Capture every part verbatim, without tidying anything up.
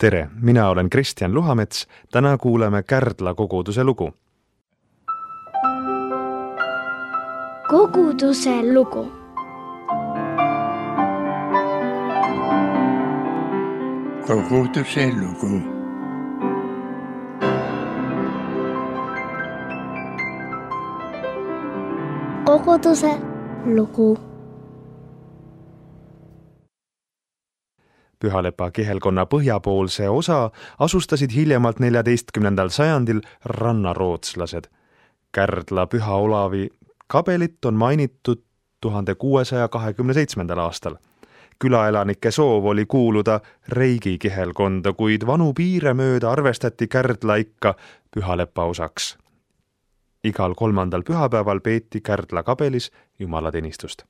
Tere, mina olen Kristjan Luhamets, täna kuuleme Kärdla koguduse lugu. Koguduse lugu. Koguduse lugu. Koguduse lugu. Pühalepa kihelkonna põhjapoolse osa asustasid hiljemalt neljateistkümnendal sajandil rannarootslased. Kärdla Püha Olavi kabelit on mainitud tuhande kuuesaja kahekümne seitsmendal aastal. Külaelanike soov oli kuuluda Reigi kihelkonda, kuid vanu piire mööda arvestati Kärdla ikka Pühalepa osaks. Igal kolmandal pühapäeval peeti Kärdla kabelis jumalateenistust.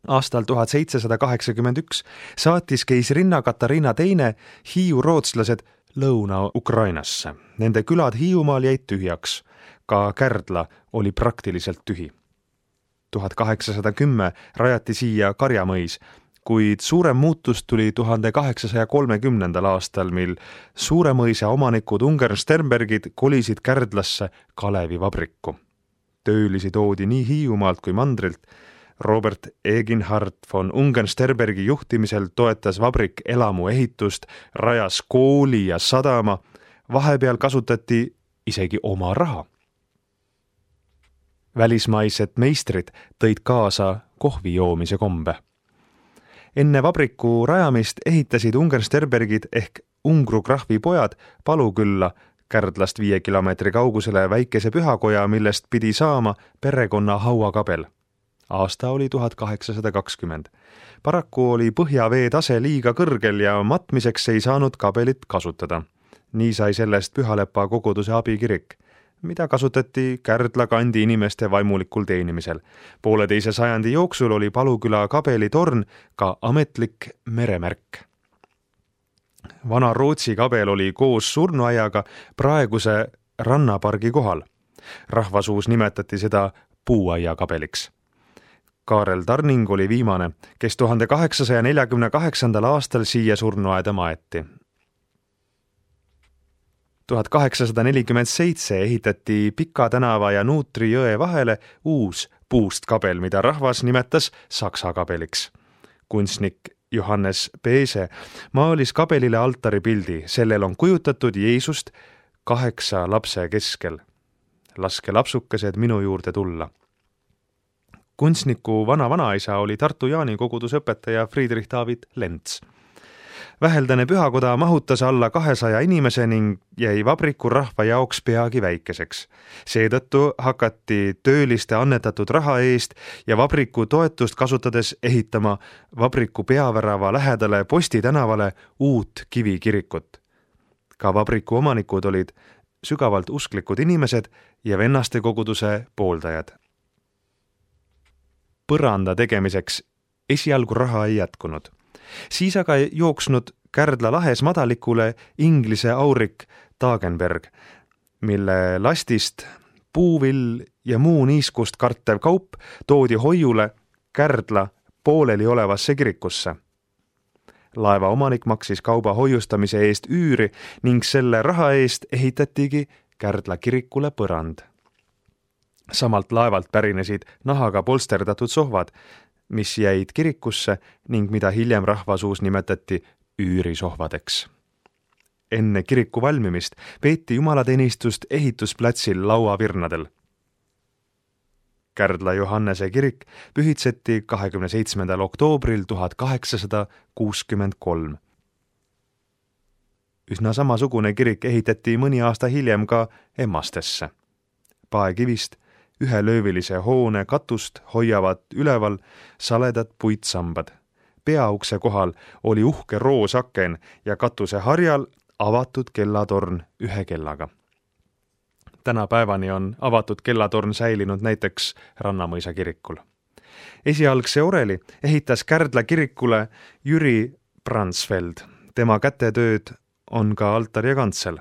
Aastal tuhat seitsesada kaheksakümmend üks saatis keisrinna Katariina teine Hiiu rootslased Lõuna-Ukrainasse. Nende külad Hiiumaal jäid tühjaks. Ka Kärdla oli praktiliselt tühi. tuhat kaheksasada kümme rajati siia Karjamõis, kuid suurem muutus tuli tuhande kaheksasaja kolmekümnendal aastal, mil Suuremõisa omanikud Ungern-Sternbergid kolisid Kärdlasse Kalevi vabrikku. Töölisi toodi nii Hiiumaalt kui mandrilt. Robert Eginhard von Ungern-Sternbergi juhtimisel toetas vabrik elamu ehitust, rajas kooli ja sadama, vahepeal kasutati isegi oma raha. Välismaised meistrid tõid kaasa kohvi joomise kombe. Enne vabriku rajamist ehitasid Ungern-Sternbergid ehk Ungru krahvi pojad Palukülla Kärdlast viie kilomeetri kaugusele väikese pühakoja, millest pidi saama perekonna hauakabel. Aasta oli tuhat kaheksasada kakskümmend. Paraku oli põhjavee tase liiga kõrgel ja matmiseks ei saanud kabelit kasutada. Nii sai sellest Pühalepa koguduse abikirik, mida kasutati Kärdla kandi inimeste vaimulikul teenimisel. Pooleteise sajandi jooksul oli Paluküla kabelitorn ka ametlik meremärk. Vana Rootsi kabel oli koos surnuaiaga praeguse rannapargi kohal. Rahvasuus nimetati seda puuaia kabeliks. Kaarel Tarning oli viimane, kes tuhande kaheksasaja neljakümne kaheksandal aastal siia surnuaeda maeti. tuhat kaheksasada nelikümmend seitse ehitati Pika tänava ja Nuutri jõe vahele uus puust kabel, mida rahvas nimetas Saksa kabeliks. Kunstnik Johannes Peese maalis kabelile altaripildi, sellel on kujutatud Jeesust kaheksa lapse keskel. Laske lapsukesed minu juurde tulla. Kunstniku vana-vanaisa oli Tartu Jaani koguduse õpetaja Friedrich David Lents. Väheldane pühakoda mahutas alla kahesaja inimese ning jäi vabriku rahva jaoks peagi väikeseks. Seetõttu hakati tööliste annetatud raha eest ja vabriku toetust kasutades ehitama vabriku peavärava lähedale Posti tänavale uut kivikirikut. Ka vabriku omanikud olid sügavalt usklikud inimesed ja vennaste koguduse pooldajad. Põranda tegemiseks esialgu raha ei jätkunud. Siis aga jooksnud Kärdla lahes madalikule Inglise aurik Dagenberg, mille lastist puuvill ja muu niiskust kartev kaup toodi hoiule Kärdla pooleli olevasse kirikusse. Laeva omanik maksis kauba hoiustamise eest üüri ning selle raha eest ehitatigi Kärdla kirikule põrand. Samalt laevalt pärinesid nahaga polsterdatud sohvad, mis jäid kirikusse ning mida hiljem rahvasuus nimetati üürisohvadeks. Enne kiriku valmimist peeti jumalateenistust ehitusplatsil lauavirnadel. Kärdla Johannese kirik pühitseti kahekümne seitsmendal oktoobril tuhat kaheksasada kuuskümmend kolm. Üsna samasugune kirik ehitati mõni aasta hiljem ka Emmastesse. Paekivist ühe löövilise hoone katust hoiavad üleval saledad puitsambad. Peaukse kohal oli uhke roosaken ja katuse harjal avatud kellatorn ühe kellaga. Tänapäevani on avatud kellatorn säilinud näiteks Rannamõisa kirikul. Esialgse oreli ehitas Kärdla kirikule Jüri Bransfeld. Tema kätetööd on ka altar ja kantsel.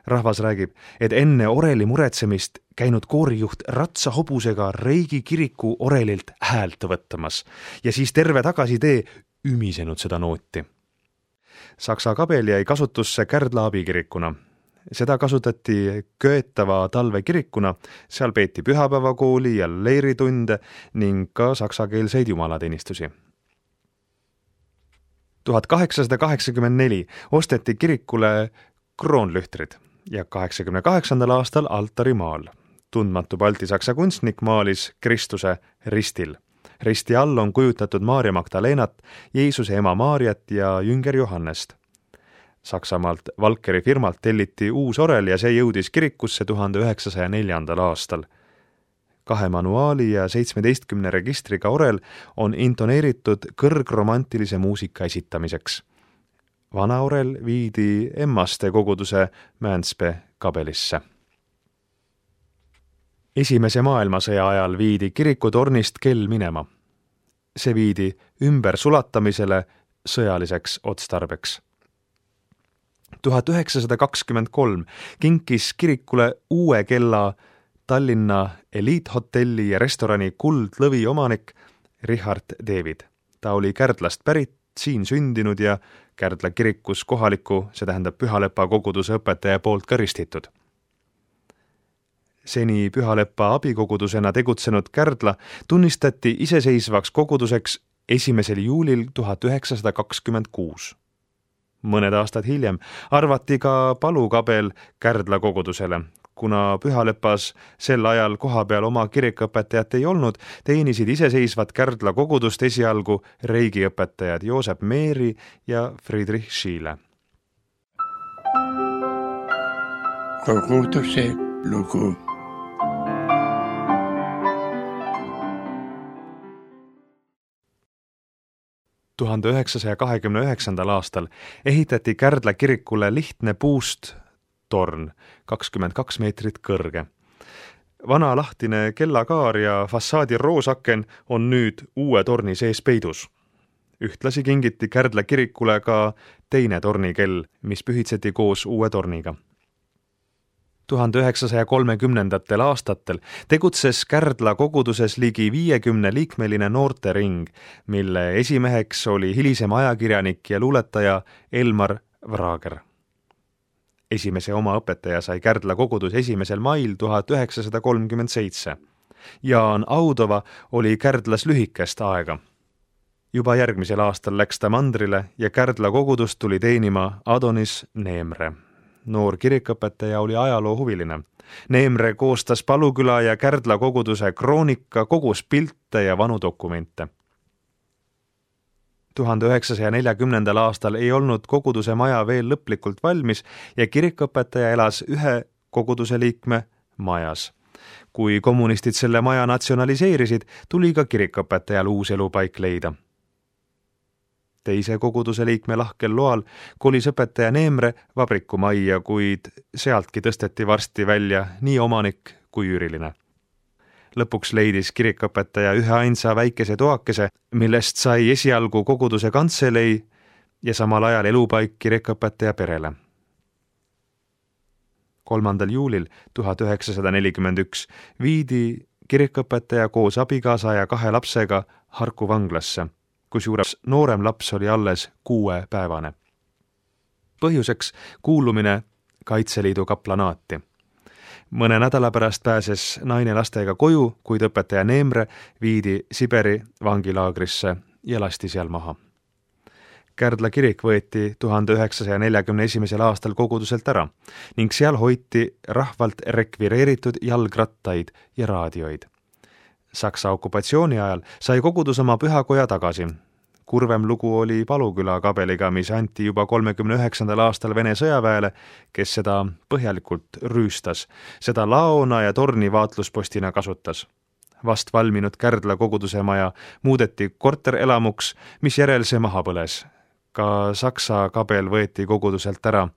Rahvas räägib, et enne oreli muretsemist käinud koorijuht ratsahobusega Reigi kiriku orelilt häält võttamas ja siis terve tagasitee ümisenud seda nooti. Saksa kabel jäi kasutusse Kärdla abikirikuna. Seda kasutati köetava talvekirikuna, seal peeti pühapäevakooli ja leiritunde ning ka saksakeelseid jumalateenistusi. tuhat kaheksasada kaheksakümmend neli osteti kirikule kroonlühtrid ja kaheksakümne kaheksandal aastal altarimaal. Tundmatu baltisaksa kunstnik maalis Kristuse ristil. Risti all on kujutatud Maarja Magdalenat, Jeesuse ema Maarjat ja jünger Johannest. Saksamaalt Valkeri firmalt telliti uus orel ja see jõudis kirikusse tuhande üheksasaja neljandal aastal. Kahe manuaali ja seitsmeteistkümne registriga orel on intoneeritud kõrgromantilise muusika esitamiseks. Vana orel viidi Emmaste koguduse Mänspe kabelisse. Esimese maailmasõja ajal viidi kirikutornist kell minema. See viidi ümber sulatamisele sõjaliseks otstarbeks. tuhat üheksasada kakskümmend kolm kinkis kirikule uue kella Tallinna eliithotelli ja restorani Kuldlõvi omanik Richard David. Ta oli Kärdlast pärit, siin sündinud ja Kärdla kirikus kohaliku, see tähendab Pühalepa koguduse õpetaja poolt karistitud. Seni Pühalepa abikogudusena tegutsenud Kärdla tunnistati iseseisvaks koguduseks esimesel juulil tuhat üheksasada kakskümmend kuus. Mõned aastad hiljem arvati ka palukabel Kärdla kogudusele. Kuna Pühalepas sel ajal koha peal oma kirikõpetajat ei olnud, teenisid iseseisvat Kärdla kogudust esialgu reigiõpetajad Joosep Meeri ja Friedrich Schiele. Koguduse lugu. tuhande üheksasaja kahekümne üheksandal aastal ehitati Kärdla kirikule lihtne puust torn, kakskümmend kaks meetrit kõrge. Vana lahtine kellakaar ja fassaadi roosaken on nüüd uue torni sees peidus. Ühtlasi kingiti Kärdla kirikule ka teine tornikell, mis pühitseti koos uue torniga. tuhande üheksasaja kolmekümnendatel aastatel tegutses Kärdla koguduses ligi viiekümne liikmeline noortering, mille esimeheks oli hilisem ajakirjanik ja luuletaja Elmar Vrager. Esimese oma õpetaja sai Kärdla kogudus esimesel mail tuhat üheksasada kolmkümmend seitse. Jaan Audova oli Kärdlas lühikest aega. Juba järgmisel aastal läks ta mandrile ja Kärdla kogudust tuli teenima Adonis Neemre. Noor kirikõpetaja oli ajaloohuviline. Neemre koostas Paluküla ja Kärdla koguduse kroonika, kogus pilte ja vanu dokumente. tuhande üheksasaja neljakümnendal aastal ei olnud koguduse maja veel lõplikult valmis ja kirikõpetaja elas ühe koguduse liikme majas. Kui kommunistid selle maja natsionaliseerisid, tuli ka kirikõpetajal uus elupaik leida. Teise koguduse liikme lahkel loal kolis õpetaja Neemre vabrikumajja, kuid sealtki tõsteti varsti välja nii omanik kui üüriline. Lõpuks leidis kirikõpetaja ühe ainsa väikese toakese, millest sai esialgu koguduse kantselei ja samal ajal elupaik kirikõpetaja perele. kolmandal juulil tuhat üheksasada nelikümmend üks viidi kirikõpetaja koos abikaasa ja kahe lapsega Harku vanglasse, kusjuures noorem laps oli alles kuuepäevane. Põhjuseks kuulumine Kaitseliidu kaplanaati. Mõne nädala pärast pääses naine lastega koju, kuid õpetaja Neemre viidi Siberi vangilaagrisse ja lasti seal maha. Kärdla kirik võeti tuhande üheksasaja neljakümne esimesel aastal koguduselt ära ning seal hoiti rahvalt rekvireeritud jalgrattaid ja raadioid. Saksa okupatsiooni ajal sai kogudus oma pühakoja tagasi. Kurvem lugu oli Paluküla kabeliga, mis anti juba kolmekümne üheksandal aastal Vene sõjaväele, kes seda põhjalikult rüüstas, seda laona ja torni vaatluspostina kasutas. Vast valminud Kärdla koguduse maja muudeti korterelamuks, mis järel see maha põles. Ka Saksa kabel võeti koguduselt ära.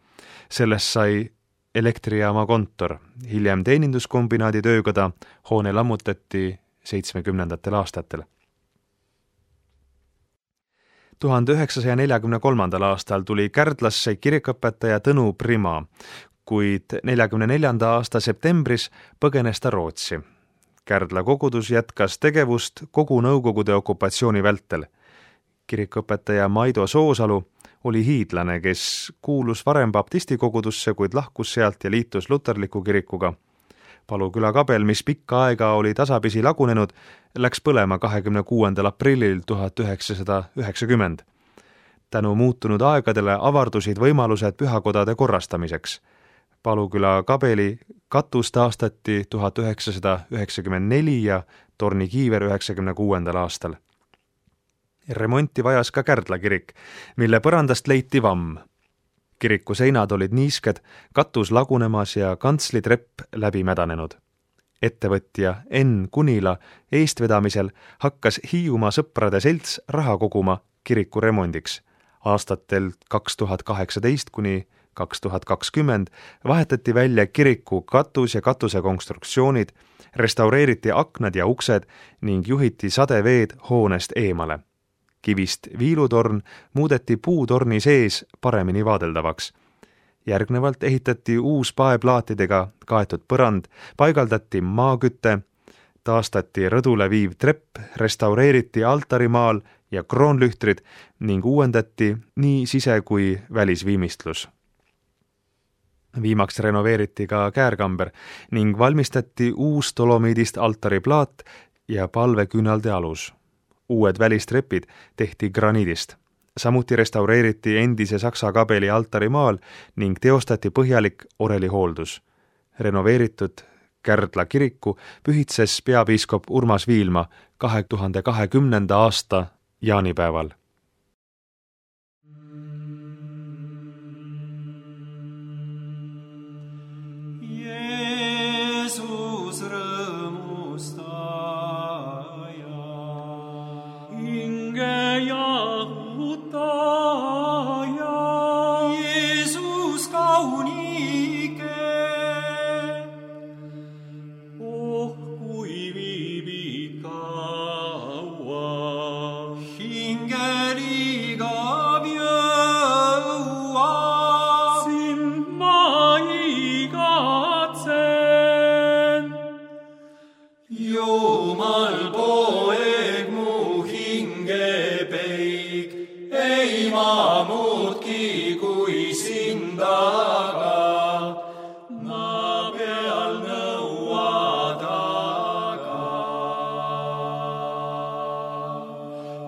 Sellest sai elektrijaama kontor. Hiljem teeninduskombinaadi töökoda, hoone lammutati seitsmekümnendatel aastatel. tuhande üheksasaja neljakümne kolmandal aastal tuli Kärdlasse kirikõpetaja Tõnu Prima, kuid neljakümne neljanda aasta septembris põgenes ta Rootsi. Kärdla kogudus jätkas tegevust kogu Nõukogude okupatsiooni vältel. Kirikõpetaja Maido Soosalu oli hiidlane, kes kuulus varem baptistikogudusse, kuid lahkus sealt ja liitus luterliku kirikuga. Paluküla kabel, mis pikka aega oli tasapisi lagunenud, läks põlema kahekümne kuuendal aprillil tuhat üheksasada üheksakümmend. Tänu muutunud aegadele avardusid võimalused pühakodade korrastamiseks. Paluküla kabeli katus taastati tuhat üheksasada üheksakümmend neli ja tornikiiver üheksakümne kuuendal aastal. Remonti vajas ka Kärdla kirik, mille põrandast leiti vamm. Kiriku seinad olid niisked, katus lagunemas ja kantslitrepp läbi mädanenud. Ettevõtja Enn Kunila eestvedamisel hakkas Hiiumaa sõprade selts raha koguma kiriku remondiks. Aastatel kaks tuhat kaheksateist kuni kaks tuhat kakskümmend vahetati välja kiriku katus ja katuse konstruktsioonid, restaureeriti aknad ja uksed ning juhiti sadeveed hoonest eemale. Kivist viilutorn muudeti puutorni sees paremini vaadeldavaks. Järgnevalt ehitati uus paeplaatidega kaetud põrand, paigaldati maakütte, taastati rõdule viiv trepp, restaureeriti altarimaal ja kroonlühtrid ning uuendati nii sise- kui välisviimistlus. Viimaks renoveeriti ka käärkamber ning valmistati uus dolomiidist altariplaat ja palveküünalde alus. Uued välistrepid tehti graniidist. Samuti restaureeriti endise Saksa kabeli altarimaal ning teostati põhjalik orelihooldus. Renoveeritud Kärdla kiriku pühitses peapiiskop Urmas Viilma kahe tuhande kahekümnenda aasta jaanipäeval. Jeesus rõõmustaja, hinge jahutaja, Jeesus kaunike, oh kui viibid kaua, hingeliga jõua, sind ma igatsen. Jumal poeg mu hinge peig, ei ma muudki kui sind aga, maa peal nõua taga.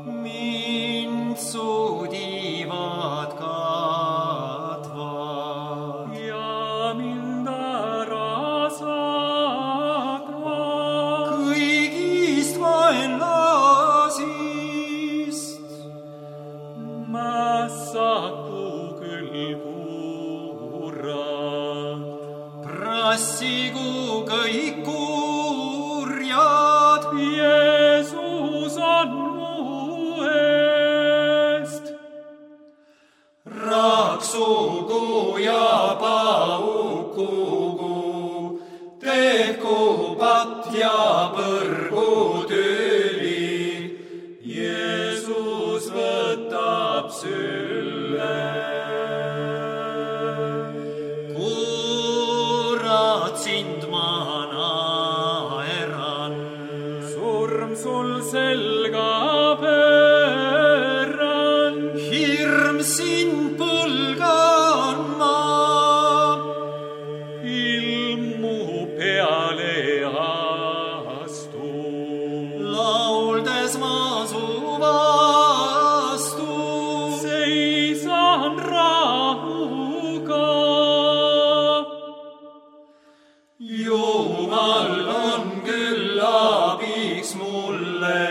Mind sudivad katvad ja mind ära saatvad kõigist vaenlasist. Ma saku küll kurad, prassigu kõik kurjad, Jeesus on mu eest. Raksugu ja paukugu, tehku pat ja põrgu tüli, Jeesus võtab sülle. Kurat, sind ma naeran, surm sul selga pööran, hirm sind põlgan ma, ilmu peale astu, lauldes ma su vastu, seisan rahuga. Jumal on küll abiks mulle,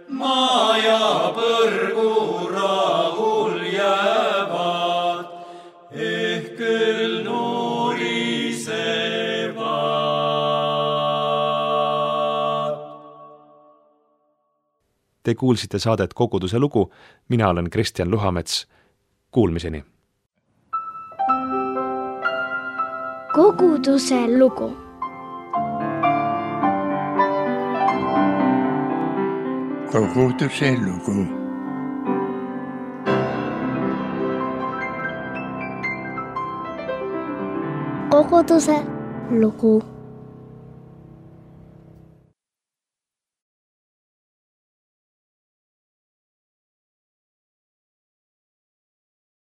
maa ja põrgu rahul jäävad, ehk küll nurisevad. Te kuulsite saadet Koguduse lugu, mina olen Kristjan Luhamets. Kuulmiseni! Koguduse lugu. Koguduse lugu. Koguduse lugu.